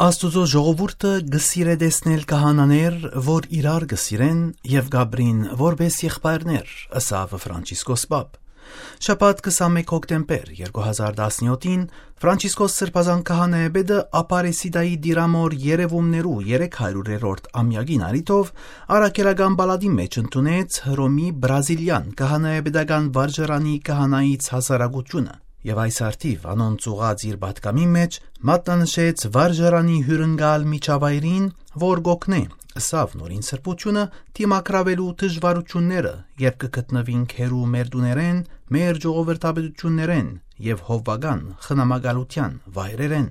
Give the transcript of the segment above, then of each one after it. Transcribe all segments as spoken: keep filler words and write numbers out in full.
Աստուծոյ ժողովուրդը կը սիրէ տեսնել քահանաներ, որ իրար կը սիրեն եւ կ'ապրին որպէս եղբայրներ, ըսաւ Ֆրանցիսկոս Պապ։ Շաբաթ քսանմէկ հոկտեմբեր երկու հազար տասնեթին Ֆրանցիսկոս Սրբազան քահանայապետը Ապարեսիդայի Տիրամոր երեւումներու երեք հարիւրերորդ ամեակին առիթով առաքելական պալատի մէջ ընդունեց Հռոմի Բրազիլեան քահանայապետական վարժարանի քահանայից հասարակութիւնը եւ այս առթիւ անոնց ուղղած իր պատգամին մէջ մատնանշեց վարժարանի հիւրընկալ միջավայրին, որ կ'օգնէ, ըսաւ Նորին Սրբութիւնը, դիմագրաւելու դժուարութիւնները, երբ կը գտնուինք հեռու մեր տուներէն, մեր ժողովրդապետութիւններէն եւ հովուական խնամակալութեան վայրերէն։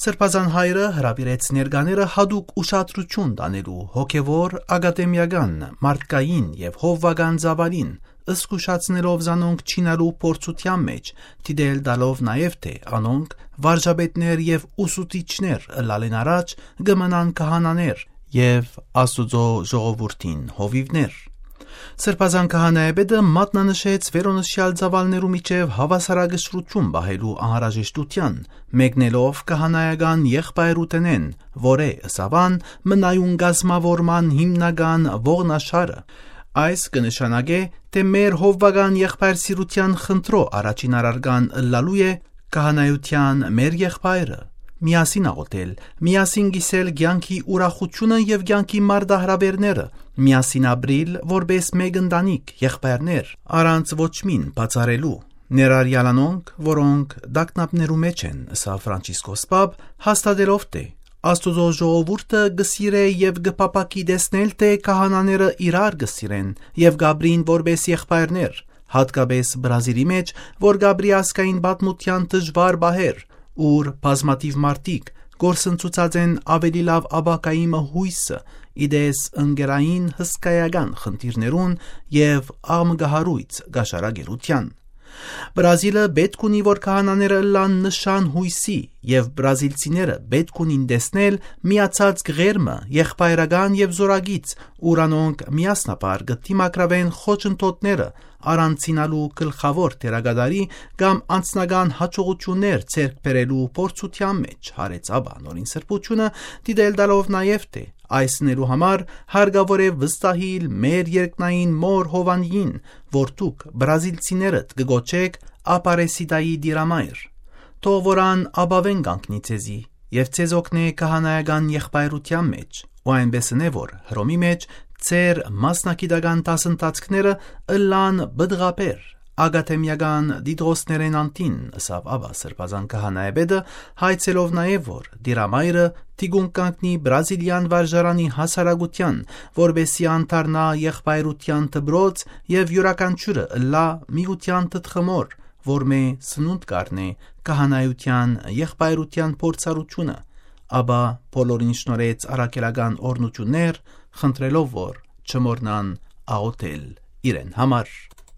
Սրբազան հայրը հրաւիրեց ներկաները յատուկ ուշադրութիւն տանելու հոգեվոր, ակադեմիական, մարդկային եւ հովուական ծաւալին, զգուշացնելով զանոնք չինալու փորձութեան մէջ, դիտել տալով նաեւ, թէ անոնք վարժապետներ եւ ուսուցիչներ ըլլալէն առաջ կը մնան քահանաներ եւ Աստուծոյ ժողովուրդին հովիւներ։ Սրբազան քահանայապետը մատնանշեց վերոնշեալ ծաւալներու միջեւ հաւասարակշռութիւն պահելու անհրաժեշտութեան, մեկնելով քահանայական եղբայրութենէն, որ է, ըսաւ ան, մնայուն կազմաւորման հիմնական ողնաշարը։ Այս կը նշանակէ, թէ մեր հովուական եղբայրսիրութեան խնդրոյ առաջին առարկան ըլլալու է քահանայութեան մեր եղբայրը, միասին աղօթել, միասին կիսել կեանքի ուրախութիւնը եւ կեանքի մարտահրաւէրները, միասին ապրիլ որպէս մէկ ընտանիք, եղբայրներ, առանց ոչ մին բացառելու, ներառեալ անոնք, որոնք տագնապներու մէջ են, ըսաւ Ֆրանցիսկոս Պապ, հաստատելով, թէ Աստուծոյ ժողովուրդը կը սիրէ եւ կը փափաքի տեսնել, թէ քահանաները իրար կը սիրեն եւ կ'ապրին որպէս եղբայրներ, յատկապէս Բրազիլի մէջ, որ կ'ապրի ազգային պատմութեան դժուար պահեր, ուր բազմաթիւ մարդիկ կորսնցուցած են աւելի լաւ ապագայի մը յոյսը, ի տես ընկերային հսկայական խնդիրներուն եւ աղմկահարոյց կաշառակերութեան։ Բրազիլը պէտք ունի, որ քահանաները ըլլան նշան յոյսի, եւ բրազիլցիները պէտք ունին տեսնել միացած կղեր մը, եղբայրական եւ զօրակից, ուր անոնք միասնաբար կը դիմագրաւեն խոչընդոտները, առանցնալու գլխաւոր դերակատարի կամ անձնական յաջողութիւններ ձեռք բերելու փորձութեան մէջ, յարեց Աբա Նորին Սրբութիւնը, դիտել տալով նաեւ, թէ այս ընելու համար հարկաւոր է վստահիլ մեր երկնային մօր Հովանիին, որ դուք բրազիլցիներդ կը կոչէք Ապարեսիդայի Տիրամայր։ Թող որ ան ապաւէն կանգնի ձեզի եւ ձեզ օգնէ քահանայական եղբայրութեան մէջ, ու այնպէս ընէ որ Հռոմի մէջ ձեր մասնագիտական դասընթացքները ըլլան պտղաբեր, ակադեմիական տիտղոսներէն անդին, ըսաւ Աբա Սրբազան քահանայապետը, հայցելով նաեւ, որ Տիրամայրը թիկունք կանգնի Բրազիլեան վարժարանի հասարակութեան, որպէսզի ան դառնայ եղբայրութեան դպրոց եւ իւրաքանչիւրը ըլլայ միութեան թթխմոր, որմէ սնունդ կ'առնէ քահանայութեան եղբայրութեան փորձառութիւնը, աբա բոլորին շնորհեց առաքելական օրհնութիւններ, խնդրելով, որ չմոռնան աղօթել իրեն համար։